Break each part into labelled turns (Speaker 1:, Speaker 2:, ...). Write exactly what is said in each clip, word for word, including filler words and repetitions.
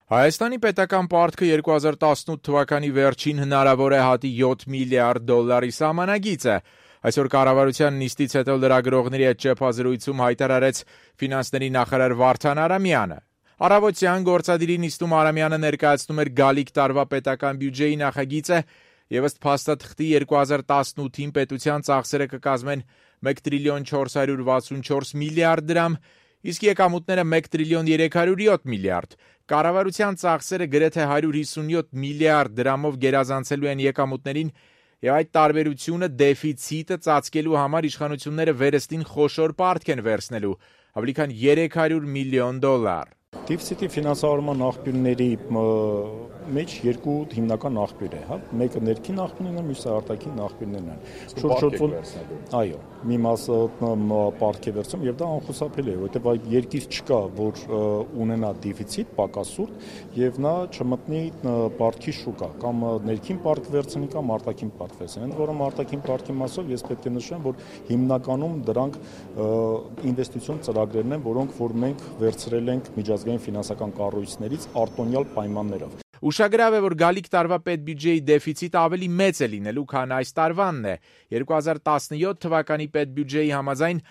Speaker 1: Հայաստանի պետական պարտքը երկու հազար տասնութ թվականի վերջին հնարավոր է հատի յոթ միլիարդ դոլարի սահմանագիծ է։ Այսօր կառավարության նիստից հետո լրագրողների հետ ճեպազրույցում հայտարարեց ֆինանսների նախարար Վարդան Արամյանը։ Առավոտյան գործադիրի նիստում Արամյանը ներկայացնում էր գալիք տարվա պետական բյուջեի նախագիծը եւ ըստ փաստաթղթի երկու հազար տասնութին պետության ծախսերը կկազմեն մեկ տրիլիոն չորս հարյուր վաթսունչորս միլիարդ դրամ, իսկ եկամուտները մեկ տրիլիոն երեք հարյուր յոթ միլիարդ։ Կառավարության ծախսերը գրեթե հարյուր հիսունյոթ միլիարդ դրամով գերազանցելու են եկամուտներին եւ այդ տարբերությունը դեֆիցիտը ծածկելու համար իշխանությունները վերստին խոշոր պարտք են վերցնելու՝ ավելի քան երեք հարյուր միլիոն դոլար։
Speaker 2: Դեֆիցիտի ֆինանսավորման աղբյուրների մեջ երկու հիմնական աղբյուր է, հա, մեկը ներքին աղբյուրներն են, մյուսը արտաքին աղբյուրներն են։ Շուրջ այո, մի մասը պարտք է վերցնում եւ դա անխուսափելի է, որովհետեւ այդ երկիր չկա, որ ունենա դեֆիցիտ, պակասուրդ եւ նա չմտնի պարտքի շուկա, կամ ներքին պարտք վերցնի կամ արտաքին պարտք վերցնի։ Ընդ որում արտաքին պարտքի մասով ես պետք է նշեմ, որ հիմնականում դրանք ինվեստիցիոն ծրագրերն են, որոնք որ մենք վերցրել ենք միջազգային ֆինանսական կառույցներից արտոնյալ պայմաններով։
Speaker 1: Ուշագրավ է, որ գալիք տարվա պետբյուջեի դեֆիցիտը ավելի մեծ է լինելու, քան այս տարվանն է։ երկու հազար տասնյոթ թվականի պետբյուջեի համաձայն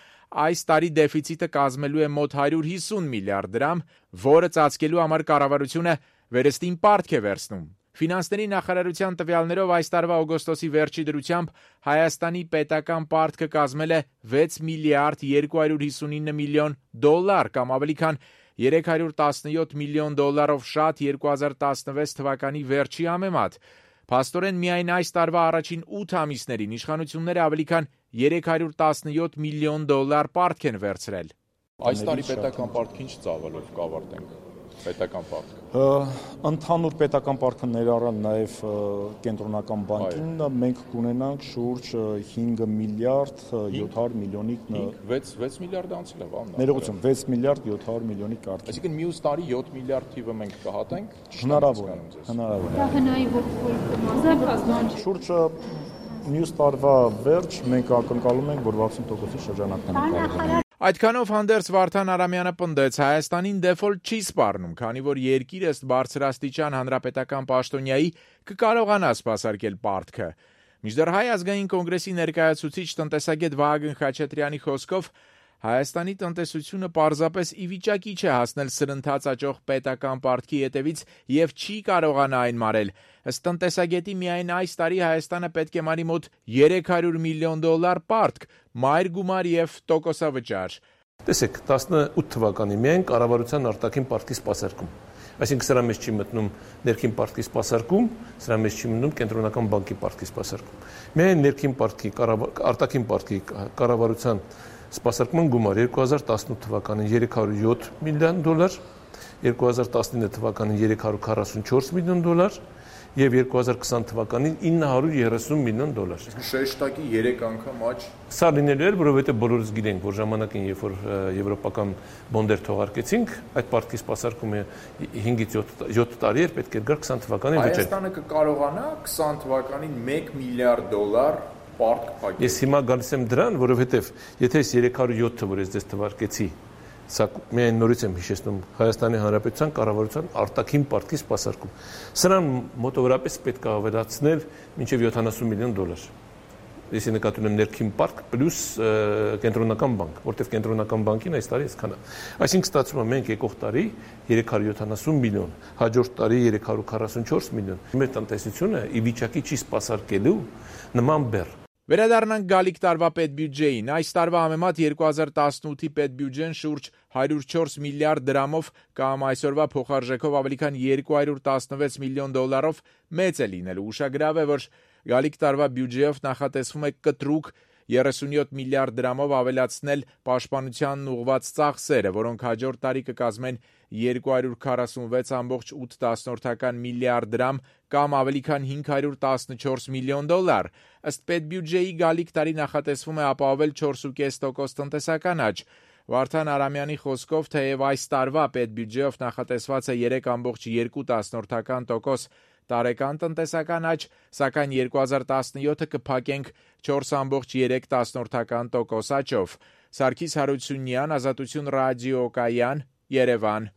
Speaker 1: այս տարի դեֆիցիտը կազմելու է մոտ հարյուր հիսուն միլիարդ դրամ, որը ծածկելու համար կառավարությունը վերստին պարտք է վերցնում։ Ֆինանսների նախարարության տվյալներով այս տարվա օգոստոսի վերջի դրությամբ Հայաստանի պետական պարտքը կազմել է վեց միլիարդ երկու հարյուր հիսունինը միլիոն դոլար, կամ ավելի քան երեք հարյուր տասնյոթ միլիոն դոլարով շատ երկու հազար տասնվեց թվականի վերջի համեմատ։ Փաստորեն միայն այս տարվա առաջին ութ ամիսներին իշխանությունները ավելի քան երեք հարյուր տասնյոթ միլիոն դոլար պարտք են վերցրել։
Speaker 3: Այս տարի պետական պարտքը ինչ ծավալով կավարտենք։ Պետական պարտքը։
Speaker 2: Ընդհանուր պետական պարտքը ներառան նաև կենտրոնական բանկին, մենք կունենանք շուրջ հինգ միլիարդ յոթ հարյուր միլիոնի
Speaker 3: վեց միլիարդ անցել է, բան։
Speaker 2: Ներողություն, վեց միլիարդ յոթ հարյուր միլիոնի կարգ։
Speaker 3: Այսինքն մյուս տարի յոթ միլիարդ թիվը մենք կհատենք։
Speaker 2: Հնարավոր է, հնարավոր է։
Speaker 4: Դա հնարավոր է։
Speaker 2: Շուրջ մյուս տարվա վերջ մենք ակնկալում ենք, որ վաթսուն տոկոսի շրջանակն ենք կարող։
Speaker 1: Այդքանով հանդերձ Վարդան Արամյանը պնդեց, Հայաստանին դեֆոլտ չի սպառնում, քանի որ երկիրը ըստ բարձրաստիճան հանրապետական պաշտոնյայի կկարողանա սպասարկել պարտքը։ Մինչդեռ Հայ ազգային կոնգրեսի ներկայացուցիչ տնտեսագետ Վահագն Խաչատրյանի խոսքով Հայաստանի տնտեսությունը պարզապես ի վիճակի չէ հասնել սրընթաց աճող պետական պարտքի ետևից եւ չի կարողանա այն մարել։ Ըստ տնտեսագետի միայն այս տարի Հայաստանը պետք է մարի մոտ երեք հարյուր միլիոն դոլար պարտք, մայր գումար եւ տոկոսավճար։
Speaker 5: Տեսեք, տասնութ թվականի միայն կառավարության արտաքին պարտքի սպասարկում։ Այսինքն սրա մեջ չի մտնում ներքին պարտքի սպասարկում, սրա մեջ չի մտնում կենտրոնական բանկի պարտքի սպասարկում։ Միայն ներքին պարտքի, արտաքին պարտքի կառավարության սպասարկման գումար երկու հազար տասնութ թվականին երեք հարյուր յոթ միլիոն դոլար, երկու հազար տասնինը թվականին երեք հարյուր քառասունչորս միլիոն դոլար եւ երկու հազար քսան թվականին ինը հարյուր երեսուն միլիոն դոլար։
Speaker 3: Շեշտակի երեք անգամ աճ։
Speaker 5: Սա լինելու էր, որովհետեւ բոլորս գիտենք, որ ժամանակին, երբ որ եվրոպական բոնդեր թողարկեցինք, այդ պարտքի սպասարկումը հինգից յոթ տարի էր, պետք էր գար քսան թվականին վճարել։
Speaker 3: Հայաստանը կկարողանա քսան թվականին մեկ միլիարդ դոլար պարտք փակել։
Speaker 5: Ես հիմա գալիս եմ դրան, որովհետեւ եթե ես երեք հարյուր յոթը, որ ես դες թվարկեցի, սա միայն նորից եմ հիշեցնում Հայաստանի Հանրապետության կառավարության արտաքին պարտքի սպասարկում։ Սրան մոտավորապես պետք է ավելացնել մինչև յոթանասուն միլիոն դոլար։ Ես նկատում եմ ներքին պարտք պլյուս կենտրոնական բանկ, որտեղ կենտրոնական բանկին այս տարի այսքան է։ Այսինքն ստացվում է մենք եկող տարի երեք հարյուր յոթանասուն միլիոն, հաջորդ տարի երեք հարյուր քառասունչորս միլիոն։ Մեր տնտեսությունը ի վիճակի չի սպասարկելու նման բեռ։
Speaker 1: Վերադառնանք գալիք տարվա պետբյուջեին։ Այս տարվա համեմատ երկու հազար տասնութի պետբյուջեն շուրջ հարյուր չորս միլիարդ դրամով կամ այսօրվա փոխարժեքով ավելի քան երկու հարյուր տասնվեց միլիոն դոլարով մեծ է լինելու։ Ուշագրավ է, որ գալիք տարվա բյուջեով նախատեսվում է կտրուկ երեսունյոթ միլիարդ դրամով ավելացնել պաշտպանությանն ուղղված ծախսերը, որոնք հաջորդ տարի կկազմեն երկու հարյուր քառասունվեց կόμma ութ միլիարդ դրամ կամ ավելի քան հինգ հարյուր տասնչորս միլիոն դոլար։ Ըստ պետբյուջեի գալիք տարի նախատեսվում է ապահովել չորս կόμma պենս տոկոս տնտեսական աճ։ Վարդան Արամյանի խոսքով, թեև այս տարվա պետբյուջեով նախատեսված է երեք կόμma երկու տոկոս տարեկան տնտեսական աճ, սակայն երկու հազար տասնյոթը կփակենք չորս կόμma երեք տոկոս աճով։ Սարգիս Հարությունյան, Ազատություն ռադիոկայան, Երևան։